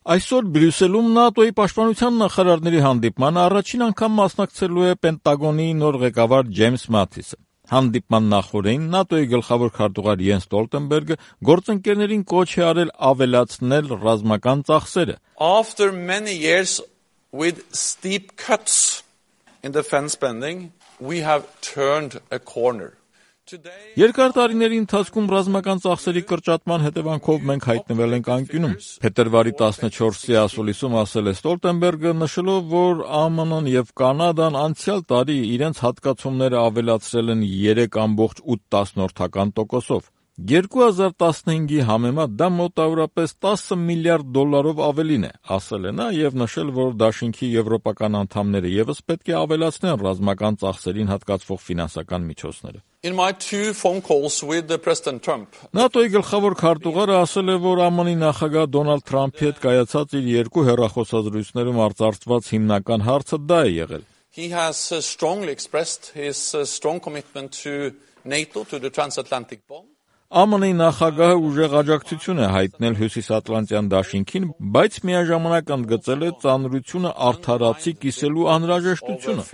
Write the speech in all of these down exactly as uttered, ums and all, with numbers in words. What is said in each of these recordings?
Այսօր Բրյուսելում ՆԱՏՕ-ի պաշտպանության նախարարների հանդիպմանը առաջին անգամ մասնակցելու է Պենտագոնի նոր ղեկավար Ջեյմս Մաթիսը։ Հանդիպման նախօրեին ՆԱՏՕ-ի գլխավոր քարտուղար Յենս Ստոլտենբերգը գործընկերներին կոչ է արել ավելացնել ռազմական ծախսերը։ After many years with steep cuts in defense spending, we have turned a corner. Երկար տարիների ընթացքում ռազմական ծախսերի կրճատման հետևանքով մենք հայտնվել ենք անկյունում։ Փետրվարի տասնչորսի ասուլիսում ասել է Ստոլտենբերգը, նշելով, որ ԱՄՆ-ն եւ Կանադան անցյալ տարի իրենց հատկացումները ավելացրել են երեք կόμ ութ տոկոսով։ երկու հազար տասնհինգի համեմատ դա մոտավորապես տասը միլիարդ դոլարով ավելին է, ասել է նա եւ նշել, որ դաշինքի եվրոպական անդամները եւս պետք է ավելացնեն ռազմական ծախսերին հատկացվող ֆինանսական միջոցները։ In my two phone calls with the President Trump, ՆԱՏՕ-ի գլխավոր քարտուղարը ասել է, որ ԱՄՆ-ի նախագահ Դոնալդ Թրամփի հետ կայացած իր երկու հեռախոսազրույցներում արծարծված հիմնական հարցը դա է եղել։ He has uh, strongly expressed his uh, strong commitment to NATO, to the transatlantic bond. ԱՄՆ-ի նախագահը ուժեղ աջակցություն է հայտնել Հյուսիսատլանտյան դաշինքին, բայց միաժամանակ ընդգծել է ծանրությունը արդարացի կիսելու անհրաժեշտությունը,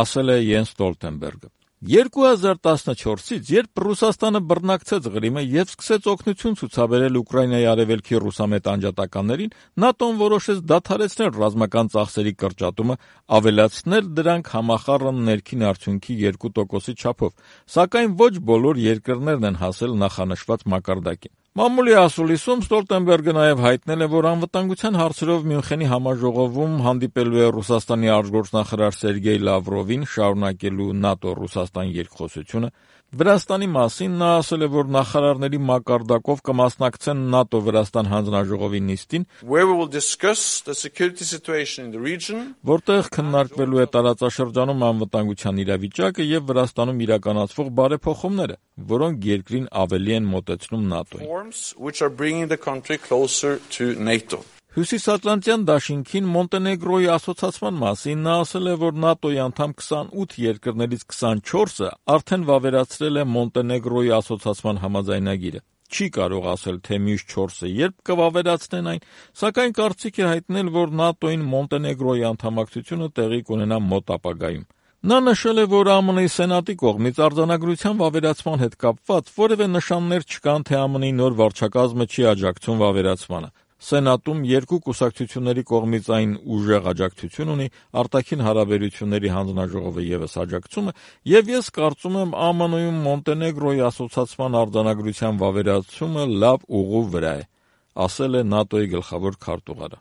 ասել է Յենս Ստոլտենբերգը։ երկու հազար տասնչորսից, երբ Ռուսաստանը բռնակցեց Ղրիմը եւ սկսեց օգնություն ցուցաբերել Ուկրաինայի արևելքի ռուսամետ անջատականներին, ՆԱՏՕ-ն որոշեց դադարեցնել ռազմական ծախսերի կրճատումը, ավելացնել դրանք համախառն ներքին արդյունքի երկու տոկոսի չափով, սակայն ոչ բոլոր երկրներն են հասել նախանշված մակարդակին։ Մամուլի ասուլիսում Ստոլտենբերգը նաև հայտնել է, որ անվտանգության հարցերով Մյունխենի համաժողովում հանդիպելու է Ռուսաստանի արտգործնախարար Սերգեյ Լավրովին, շարունակելու ՆԱՏՕ-Ռուսաստան երկխոսությունը։ Վրաստանի մասին նա ասել է, որ նախարարների մակարդակով կմասնակցեն ՆԱՏՕ-Վրաստան հանձնաժողովի նիստին, որտեղ քննարկվելու է տարածաշրջանում անվտանգության իրավիճակը եւ Վրաստանում իրականացվող բարեփոխումները, որոնք երկրին ավելի են մոտեցնում ՆԱՏՕ-ին։ Հյուսիսատլանտյան դաշինքին Մոնտենեգրոյի ասոցացման մասին նա ասել է, որ ՆԱՏՕ-ի անդամ քսանութ երկրներից քսանչորսը արդեն վավերացրել է Մոնտենեգրոյի ասոցացման համաձայնագիրը։ Չի կարող ասել, թե մյուս չորսը երբ կվավերացնեն այն, սակայն կարծիք է հայտնել, որ ՆԱՏՕ-ին Մոնտենեգրոյի անդամակցությունը տեղի կունենա մոտ ապագայում։ Նա նշել է, որ ԱՄՆ-ի Սենատի կողմից արձանագրության վավերացման հետ կապված որևէ նշաններ չկան, թե ԱՄՆ-ի նոր վարչակազմը չի աջակցում վավերացմանը։ Սենատում երկու կուսակցությունների կողմից այն ուժեղ աջակցություն ունի, արտաքին հարաբերությունների հանձնաժողովը ևս աջակցում է, եւ ես կարծում եմ ԱՄՆ-ում Մոնտենեգրոյի ասոցացման արձանագրության վավերացումը լավ ուղու վրա է, ասել է ՆԱՏՕ-ի գլխավոր քարտուղարը։